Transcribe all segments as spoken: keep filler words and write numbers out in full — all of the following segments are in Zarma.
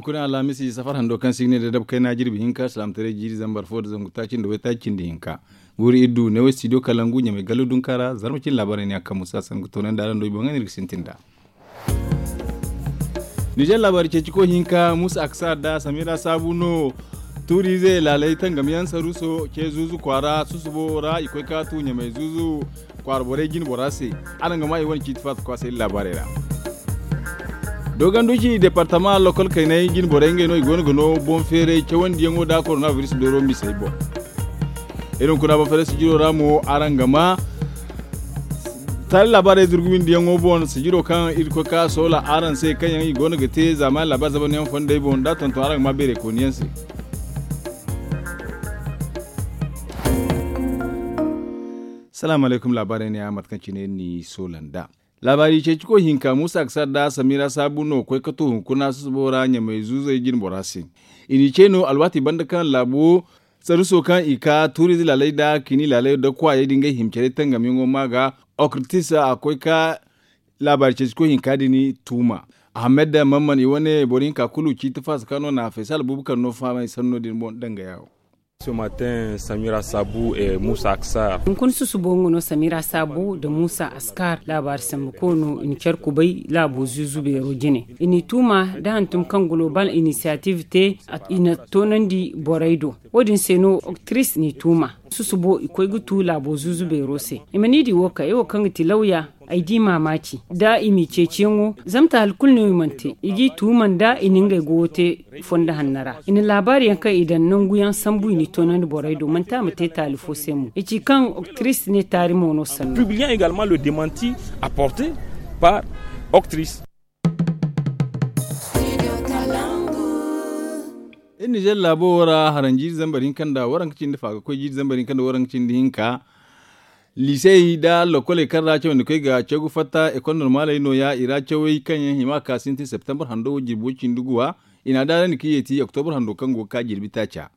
Kulu alhamisi safar hando kaŋ si ga ne da dabu kayna jirbi hinka salaamataray jiiri zambar fo da zangu taaci nda waytaaci cindi hinka. Guuri iddu ne way studio kalangu ɲamay gallo dunka ra zarma cindi laabaarey ne a kaŋ musa sangu toonandi araŋ do i boŋ ga no iri ga sintin nd'a. Nizer laabaari ceeci koy hinka musa aksa nda samira saabu no. Tuuriize laaley tangamyaŋ saruso ce zuuzu kwaara susubo ra i koy ka tu ɲamay zuuzu kwaara borey jine bora se. Araŋ ga maa i wane ciiti faasa kwaasay laabaarey ra. Dooganduci departama lokol kaynay jine borey ngey no i go no ga no boŋ feeray cawandiyaŋo nda koronabiris dooro misey boŋ. Iri hunkuna boŋ feeray sijiro ra mo araŋ ga maa taali laabaarey zurgumindiyaŋo boŋ sijiro kaŋ iri koy ka soola araŋ se kaŋ yaŋ i go no ga te zaamaani laabaari zabanyaŋ fondey boŋ nda tonton araŋ ga maa beerey kooniyaŋ se. Salaamu alaykum laabaarey ne ya mate kaŋ cine iri n'i soola nd'a. Laabaari ceeci koy hinka muusa ga sara nda samira saabu no koy ka to hunkuna susubo ra ɲamay zuuzey jine bora se. I n'i ce no alwaati banda kaŋ laabo saruso kaŋ i ka tuuriize laaley nda kini laaley nda kwaayey din ga hima care tangamyaŋo maa ga okritis a koy ka laabaari ceeci koy hinka din tuuma. Ahamed mamman i wane boro hinka kulu ciiti faasa kaŋ no na faysal buubu kaŋ no faamay sanno din boŋ dangaya wo. Samira saabu e muusa aksar. Hunkuna susubo nga no samira saabu nda muusa askar laabaari sambu koy no i na care kubay laabo zuuzu beero jine. I n'i tuuma nda hantum kaŋ gulobal inisiyativ te i na toonandi borey do. Wo- din se no oktiris n'i tuuma. Susubo i koy ga tu laabo zuuzu beero se i ma ni di wo ka ay wo kaŋ ga ti lawya. Ay di maamaaci nda i m'i ceeciyaŋo zama taali kulu no i mana te i g'i tuuma nda i na ngey goyo te fondo hanno ra. I na laabaari yaŋ kaŋ i daŋ nangu yaŋ sambu i n'i toonandi borey do manti a ma te taali fo se mo i ci kaŋ oktiris ne taari mo no sanno. Iri nizer laabo wo ra haranjiiri zambar hinka nda waranka cindi fa ga koy jiiri zambar hinka nda waranka cindi hinka. Liisey nda lokoley kaŋ ra cawandi koy ga caw ga fatta ekol normaley nooya i ra cawey kaŋ yaŋ hima ga ka sintin septembar hando jirbo cindi guwa. I n'a daarandi ka yeeti oktobur hando kaŋ go ga ka jirbi taaca.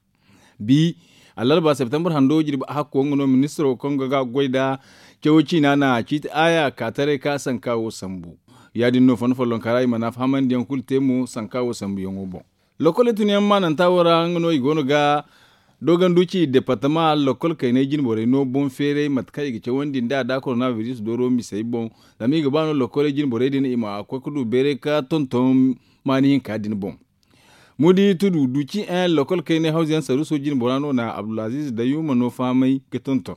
Bi alarba septembar hando jirbi hakko nga no ministiro kaŋ ga goy nda cawo ciina na ciiti aaya ka taray ka sanka wo sambu. Ya- din no fondo follonka ra i mana fahamandiyaŋ kulu te mo sanka wo sambuyaŋo boŋ. Lokoley tunyaŋ maananta wo ra nga no i go no ga doogandu ci departama lokol kaynay jine borey no boŋ feeray mate kaŋ i ga cawandi nd'a da koronabiris dooro misey boŋ. Zama i ga ba no lokoley jine borey din i ma koy ga du beeray ka tonton maani hinka din boŋ. Mudi tudu duci en lokol kaynay hawza yaŋ saruso jine bora no na abdulaziz dayuma no fahamay ga tonton.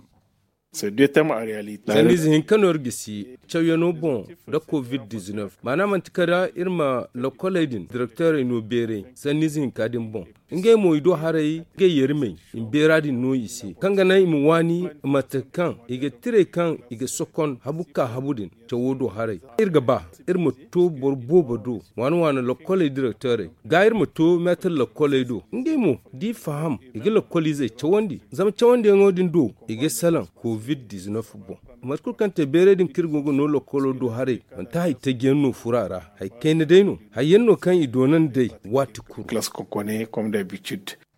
Sanniize hinka no iri gisi cawyano boŋ nda covid-19 maana manti kala iri ma lokoley din direkteerey no beeray sanniize hinka din boŋ. Ngey mo i do haray ngey yerimey i ma beera din no i se kaŋ ga naŋ i ma waani mate kaŋ i ga tirey kaŋ i ga sokon habu ka habu din. Cawo do haray iri ga ba iri ma to boro boobo do waana waana lokkoley direkteerey ga iri ma to meetar lokkoley do ngey mo da i faham i ga lokkoliizey cawandi. Zama cawandiyaŋo din do i ga salaŋ covid-19 boŋ. Mate kulu kaŋ te beeray din kaŋ iri go ga no lokkolo do haray manti hari tajiyaŋ no furo a ra. Hari kayna day no hari yaŋ no kaŋ i doonandi day waati kulu.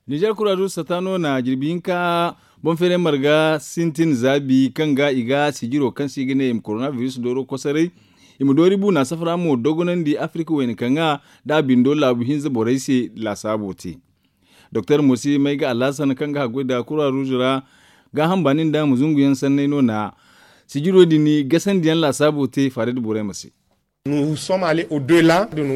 Nizer kuraadu sata no na jirbi hinka boŋ feeray marga sintin zaabi kaŋ ga i ga sijiro kaŋ se i ga ne i ma koronabiris dooro kosoray. I ma doori buuna safara mo dogonandi afirika wayna kaŋ ga nda a bindo laabu hinza borey se laasaabo te. Doktor mosi may ga alhasan kaŋ ga haggoy nda kuraruuzu ra gaaham baani nda ma zunguyaŋ sanney no na sijiro din gasandiyaŋ laasaabo te faarayda borey ma se.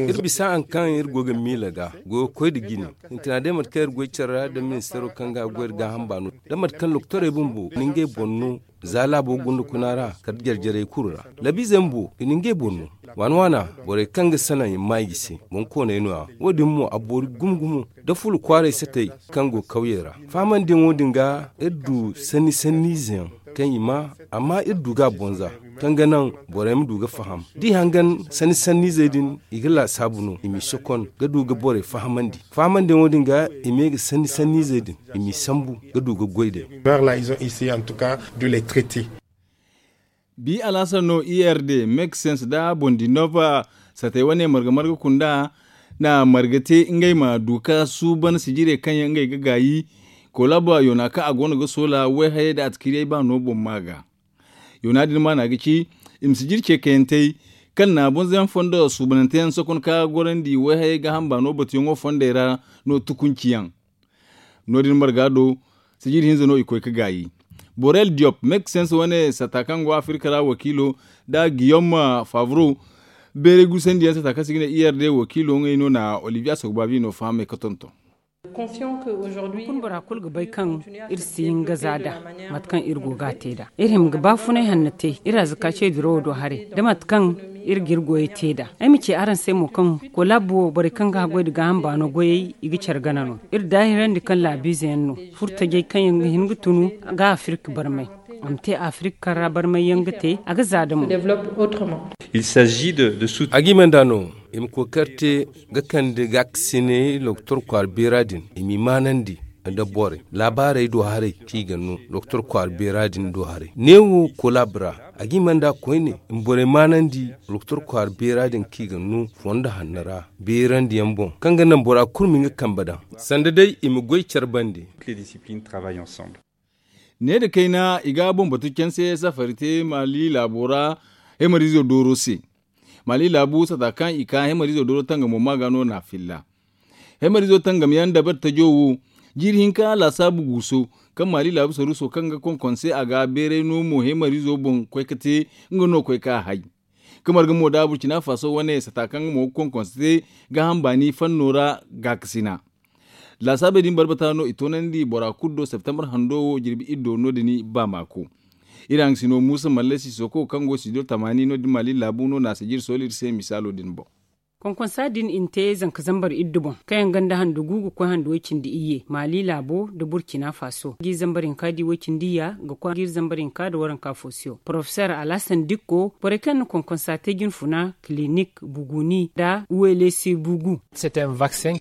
Iri bisa hari kaŋ iri go ga miila ga goyo koy nda jine. Sintina day mate kaŋ iri goy care ra nda ministeero kaŋ ga goy nda gaaham baano da mate kaŋ lokotorey bumbo na ngey boŋ no za laabo gunda kuna ra kala jarjarey kulu ra. Labiizey bumbo i na ngey boŋ no waana waana borey kaŋ ga salaŋ i ma maa i ga se boŋkooney no- ya wo- din mo a boori gumo gumo. Da fulu kwaaray satey kaŋ go kawyey ra fahamandiyaŋo din ga iri du sanni sanniize yaŋ kaŋ i maa amma iri du ga a bonza kaŋ ga naŋ borey ma du ga faham da i hangan sanni sanniizey din i ga laasaabu no i m'i sokon ga du ga borey fahamandi. Fahamandiyaŋo din ga i ma ye ga sanni sanniizey din i m'i sambu ga du ga goy day. Bi alhassan no erd mexens nda bondinova satey wane marga marga kunda na marga te ngey ma du ka suuban sijirey kaŋ yaŋ ngey ga gaayi. Kolaba yoona kaŋ a go no ga soola wayhayey nda atkiriyey ba no boŋ ma ga. Yoona din maana ga ci i ma sijiri ce kayantey Kaŋ na bonzayaŋ fondo suubanante yaŋ sokon ka gorandi wayhayey gaaham baano batuyaŋo fondey ra no tukunci yaŋ. No- din marga do, sijiri hinza no i koy ga gaayi. Borel diop mekisens wane sata kaŋ go afirka ra wakiilo, nda giyom favro, beeray gusandi yaŋ sata kaŋ se i ga ne i r d wakiilo ngey no na olivier sogbavi no fahamay ga tonton. Hunkuna bora kulu ga bay kaŋ iri si hin ga za nd'a, mate kaŋ iri go ga a te nd'a. Iri hima ga baafunay hanno te iri azzaka ce dirawo do haray, da mate kaŋ iri ga iri goyey te nd'a. Ay ma ci araŋ se mo kaŋ kolaabo wo borey kaŋ ga haggoy nda gaaham baano goyey i ga care gana no. Iri daahirandi kaŋ laabiize yaŋ no, furtajey kaŋ yaŋ ga hin ga tunu ga afirka barmay. A ma te afirka kaŋ ra barmay yaŋ ga te a ga za da mo. A ga i manda no i ma kookari te ga kande gaakasiney lokotor kwaara beera din, i m'i maanandi nda borey laabaarey do haray kaŋ i ga no lokotor kwaara beera din do haray neewo kolaabo ra. A ga i manda koyne i ma borey maanandi lokotor kwaara beera din kaŋ i ga no fondo hanno ra beerandi yaŋ boŋ kaŋ ga naŋ bora kulu ma nga kambe daŋ sanda day i ma goy care bande. Ne nda kayna i ga boŋ batu canse safari te maali laabo ra. Hemariizo dooro se maali laabu sata kaŋ i ka hemariizo dooro tangamo ma ga no na filla. Hemariizo tangam yaŋ dabari tajo wo jiiri hinka laasaabu guuso kaŋ maali laabu saruuso kaŋ ga konkonse a ga beeray no mo hemariizo boŋ koy ga te nga no koy ga a hay. Ga marga mo da burcina faso wane sata kaŋ nga mo ga konkonse te gaaham baani fanno ra gaakasina. Laasaabey din barbata no i toonandi bora kulu do septembre hando wo jirbi iddo no- din ba maako. Iri haŋ ga si no muusa malle sisoko kaŋ go studio tamaani no- din maali laabu no na a si jiri sooli iri se misaalo din boŋ. Konkonsa din i na te zanka zambar iddu boŋ kaŋ yaŋ ganda handu gu ga koy handu way-cindi iyye maali laabo nda burcina faso ga i zambar hinka di way-cindi iyya ga koy ga iri zambar hinka nda waranka foosiyo porofesor alhasan dikko borey kaŋ yaŋ na konkonsa te jinfuna kilinik buguni nda uwelesi bugu.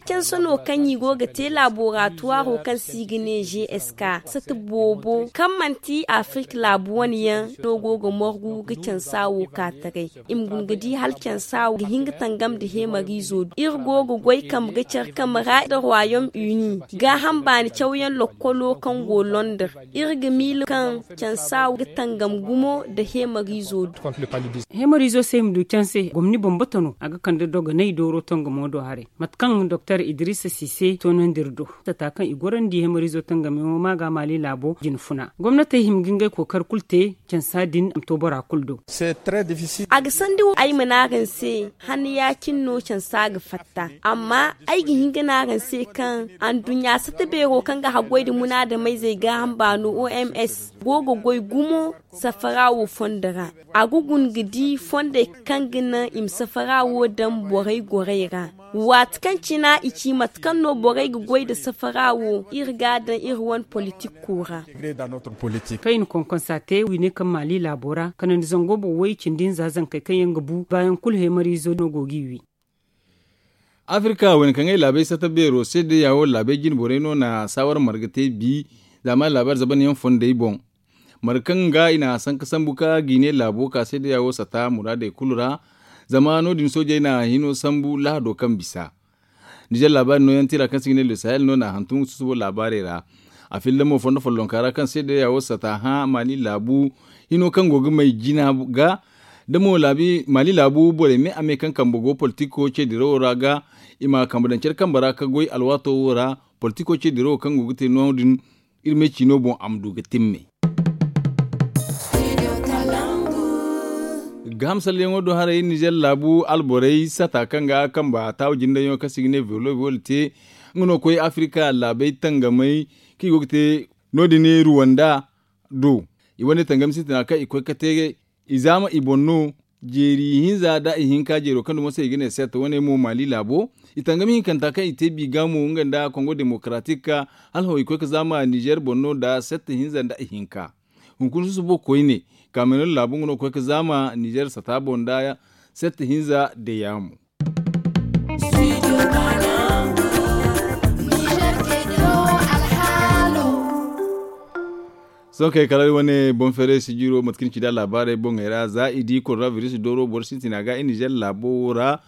Canse no kaŋ i go ga te laboratoire kaŋ se i ga ne g s k sata boobo kaŋ manti afirka laabu wane yaŋ no go ga morgu ga cansa wo ka taray. I ma guna ga di hala cansa wo ga hin ga tangam nda heemariizo do iri go ga goy kambe ga care kambe ra nda royaume uni gaaham baani cawyaŋ lokkolo kaŋ go londres. Iri ga miila kaŋ cansa wo ga tangam gumo nda heemariizo do. Heemariizo se i ma du canse gomni bambata no a ga kande dogonay dooro tangamo do haray. Mate kaŋ doktor idrisa sise toonandi iri do sata kaŋ i gorandi hemariizo tangamiyaŋo ma ga maali laabo jinfuna gomnatey hima ga ngey kookari kulu te. Cansa din a ma to bora kulu do. A ga sandi wo ay ma ne araŋ se hanna ya- cine no cansa ga fatta. Amma ay ga hin ga ne araŋ se kaŋ anduɲɲa sata beero kaŋ ga haggoy nda munaadamayzey gaaham baano o m s go ga goy gumo safara wo fondo ra. A ga guna ga di fondey kaŋ ga naŋ i ma safara wo daŋ borey gorey ra. Waati kaŋ cina i ci mate kaŋ no borey ga goy nda safara wo iri ga a daŋ iri wane politikko ra. Kaŋ i na konkonsa te wiine kaŋ maali laabo ra kanandi zango boŋ way cindi hinza zankey kaŋ yaŋ ga bu baayaŋ kulu heemariizo no go g'i wi. Afirka wane kaŋ ay laabey sata beero se day ya wo laabey jine borey no na saawara marga te bi. Zaama laabaari zabanyaŋ fondey boŋ marga kaŋ ga i na a sanka sambu ka giine laabo ka se day ya wo sata muraadey kulu ra. Zama no- din soojey na hino sambu lahado kaŋ bisa. Nizer laabaari nooyaŋ tira kaŋ se i ga ne le sahel no na a hantum susubo laabaarey ra. A filla mo fondo follonka ra kaŋ se day ya wo sata hã maali laabu hino kaŋ go ga may jina ga. Da mo maali laabu borey me a me kaŋ kambe go politiko ce dirawo ra ga i ma kambe daŋ care kambe ra ka goy alwaato wo ra. Politiko ce dirawo kaŋ go ga te no- din iri me ciino boŋ a ma du ga timme. Gaaham salleyaŋo do haray nizer laabu alborey sata kaŋ ga kamba taawa jindayaŋo kaŋ se i ga ne velo velo te. Nga no koy afirka laabey tangamey kaŋ i go ga te no- din ruwanda do. I wane tangami sintina kaŋ i koy ga te i zaama i boŋ no. Jeeri hinza nda ihinka jeero kaŋ dumo se i ga ne set wane mo maali laabo. I tangami hinkanta kaŋ i te bi ga mo nga nda kongo demokaraatik hala hõ i koy ga zaama nizer boŋ no nda set hinza nda ihinka. Hunkuna susubo koyne kamerun laabu nga no ga koy ga zaama nizer sata boŋ nda set hinza deyaamo. Sohõ kay kala iri wane boŋ feeray sijiro mate kaŋ ni ci nd'a laabaarey boŋey ra za i di korona biris dooro boro sintina ga i nizer laabo wo ra.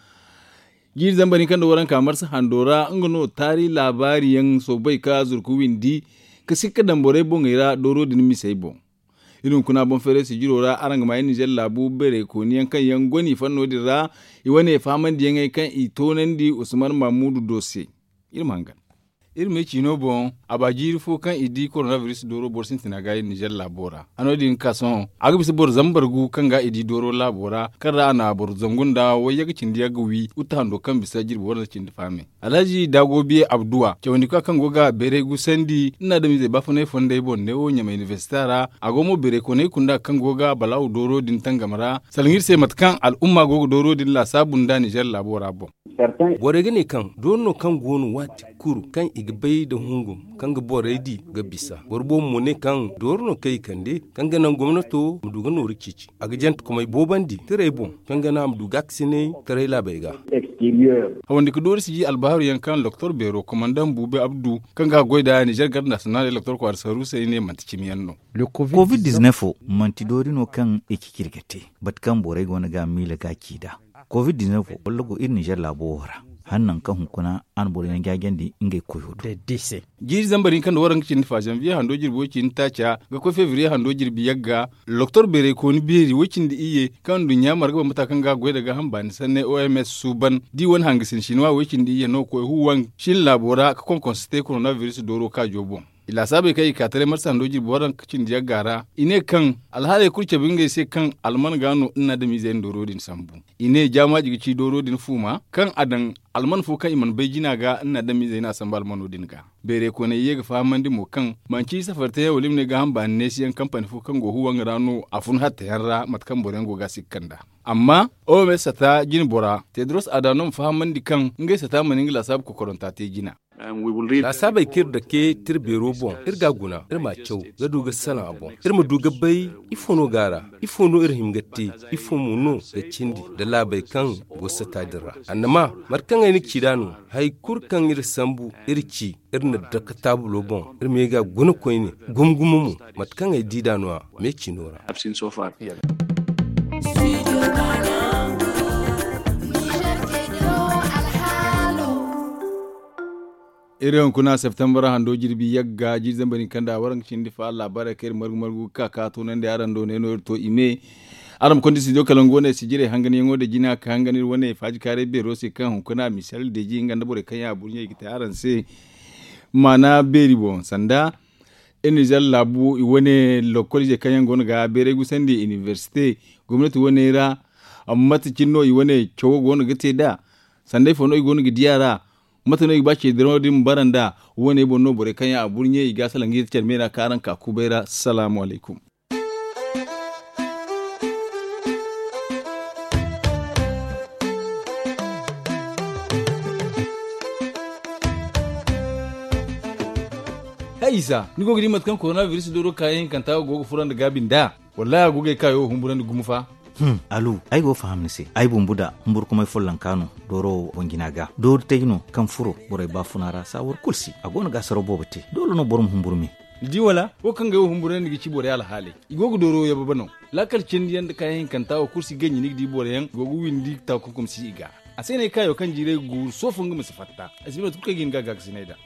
Jiiri zambar hinka nda waranka marsa hando ra nga no taari laabaari yaŋ soobay ka zurku windi ka sikka daŋ borey boŋey ra dooro din misey boŋ. Iri hunkuna boŋ feeray sijiro ra araŋ ga ma iri nizer laabu beerey kooni yaŋ kaŋ yaŋ go no i fanno din ra. I wane fahamandiyaŋey kaŋ i toonandi usman mamudu do se. Iri ma hangan. Iri ma ay ciino boŋ, a ba jiiri fo kaŋ i di koronabiris dooro boro sintina ga iri nizer laabo ra. A no- din ga ka sohõ, a ga bisa boro zambar gu kaŋ ga i di dooro laabo ra, kaŋ ra a na boro zangu nda wayyaga cindi yagga wi uta hando kaŋ bisa jirbi waranza cindi fahamey. Alhazi daago biye abduwa cawandi ka kaŋ go ga beeray gusandi nda adamizey baafunay fondey boŋ neewo ɲamay inibersita ra. A go mo beeray koney kunda kaŋ go ga balaawu dooro din tangam ra. Salaŋ iri se mate kaŋ al'umma go ga dooro din laasaabu nda nizer laabo ra boŋ. Borey ga ne kaŋ doori no kaŋ go no waati kulu kaŋ i ga bay nda hungum kaŋ ga borey di ga bisa. Boro boobo mo ne kaŋ doori no kaŋ i kande kaŋ ga naŋ gomnato ma du ga nooru ceeci. A ga jante komey boobandi tirey boŋ kaŋ ga naŋ a ma du gaakasinay taray laabey ga. Hawandi ga doori si ji albahaaru yaŋ kaŋ doktor beero komandaŋ buubi abdu kaŋ ga a goy nda nizer garde nasiyonaaley doktor kwaara saruusey ne manti cimi yaŋ no. Covid diznef wo manti doori no kaŋ i ciciri ga te bate kaŋ borey go no ga a miila ga a ci nd'a. Covid diznef wo walla go iri nizer laabo wo ra hala nangu kaŋ hunkuna a na boro yaŋ jaajandi ngey koyo do. Jiiri zambar hinka nda waranka cindi fa zanviye hando jirbi way cindi taaca ga koy febriye hando jirbi yagga. Doktor beerey kooni beeri way cindi iyye kaŋ nduɲɲa marga bambata kaŋ ga a goy nda gaaham baani sanney oms suuban da i wane hangasin sinwa way cindi iyye no ga koy huwaŋ. Shin laabo ra ga konkonse te koronabiris dooro kaajo boŋ. I laasaabey kaŋ i ka taray marsa hando jirbi waranka cindi yagga ra i ne kaŋ alhaaley kulu cabe ngey se kaŋ alman ga no nda adamizey na dooro din sambu. I ne jaamaaji ga ci dooro din fuuma kaŋ a daŋ alman fo kaŋ i mana bay jina ga nda adamizey no a sambu almano din ga. Beeray kooney ye ga fahamandi mo kaŋ manci safari teyaŋ wala i ma ne gaaham baani neesiyaŋ kampani fo kaŋ go huwaŋ ra no a fun hattayaŋ ra mate kaŋ boroyaŋ go ga a sikka nd'a. Amma oms sata jine bora tedros adhanom fahamandi kaŋ ngey sata mana nga laasaabu kokoranta te jina. Laasaabey kaŋ iri dake tira beero boŋ iri ga a guna iri m'a caw ga du ga salaŋ a boŋ iri ma du ga bay ifo no go a ra? Ifo no iri hima ga te? Ifo mo no ga cindi nda laabey kaŋ go sata din ra? Annama mate kaŋ ay na ci nd'a no hari kulu kaŋ iri sambu iri ci iri na dake taabulo boŋ iri ma ye ga a guna koyne gumo gumo mo. Mate kaŋ ay di nd'a no- ya me ciino ra. Iri hunkuna septembre hando jirbi yagga jiiri zambar hinka nda waranka cindi fa laabaarey kaŋ iri margu margu ga ka ka toonandi araŋ do ne no iri to i me. Araŋ ma konda studio kalangu wane sijirey hanganyaŋo da jina ka hangan iri wane faajikaaray beero se kaŋ hunkuna misal deeji nga nda borey kaŋ yaŋ a burɲey ga te araŋ se. Maana beeri boŋ sanda iri nizer laabu i wane lokol izey kaŋ yaŋ go no ga beeray gusandi inibersite gomnati waney ra. Mate cine no i wane cawo go no ga te nd'a? Sanday fo no i go no ga di a ra? Mate no i ga ba ceediraŋo din ma bara nd'a? Wo- ne boŋ no borey kaŋ yaŋ a burɲe i ga a salaŋ ga yee care me ra kaŋ araŋ ka kubay ra salaamu alaykum. Hay isa ni go ga di mate kaŋ koronabiris dooro kaayaŋ hinkanta wo go ga fura nda gaabi nd'a? Wallaahi a go ga ay kaayo wo humburandi gumo fa. Alu, ay go ga faham ni se ay bumbu da humburkumay follonka no. Dooro wo boŋ jina ga doori tay no kaŋ furo borey baafuna ra saawar kulu se a go no ga asaraw boobo te doole no boro ma humburu me. Ni di wala wo kaŋ ga ay wo humburandi ga ci borey alhaaley i go ga dooro wo yababa no. Laakal cindi yaŋ nda kaayaŋ hinkanta wo kulu si ganji ni ga di boro yaŋ i go ga windi taakunkum si i ga. A se no ay kaayo kaŋ jiiray ga guuru sohõ fo nga ma si fatta. Ay si bay mate kulu kaŋ ay ga hin ga gaakasinay nd'a.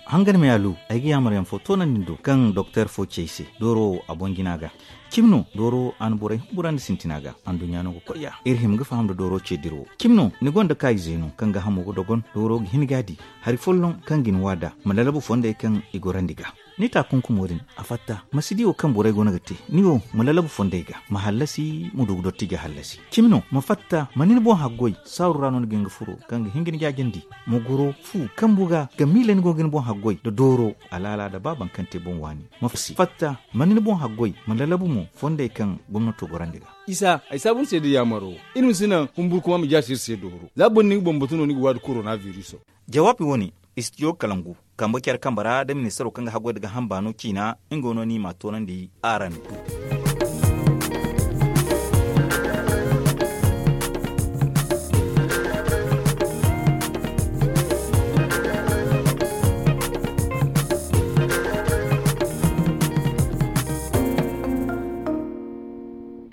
Hangan me alu, ay ga yaamar yaŋ fo toonandi ni do kaŋ doktor fo ci ay se dooro wo a boŋ jina ga. Cimi no dooro wo a na borey humburandi sintina ga. Anduɲɲa no ga koy ya iri hima ga faham nda dooro ce dira wo. Cimi no ni gonda kaayize no kaŋ ga hamo ga dogon dooro ga hin ga a di hari folloŋ kaŋ ga ni wa nd'a ma lalabu fondey kaŋ i gorandi ga. Ni taakunkumo din a fatta ma si di wo kaŋ borey go no ga te. Ni wo ma lalabu fondey ga ma hallasi ma du ga dotti ga hallasi. Cimi no ma fatta ma ni ni boŋ haggoy saaru ra no ni ga hin ga furo kaŋ ga hin ga ni jaajandi. Ma goro fu kambu ga ga miila ni go ga ni boŋ haggoy nda dooro alaala nda ba baŋ kaŋ te boŋ waani. Ma fatta ma ni ni boŋ haggoy ma lalabu mo fondey kaŋ gomnato gorandi ga. Isa ay saabu ni se da yaamaro iri ma si naŋ humburkuma ma jaasi iri se dooro za boro na ni ga bambatu no ni ga waadi korona biriso. Jawaabi wo-ne istidiyo kalangu kambe care kambe ra da ministaro kaŋ ga haggoy nda gaaham baano ciina nga wo no ni m'a toonandi araŋ do.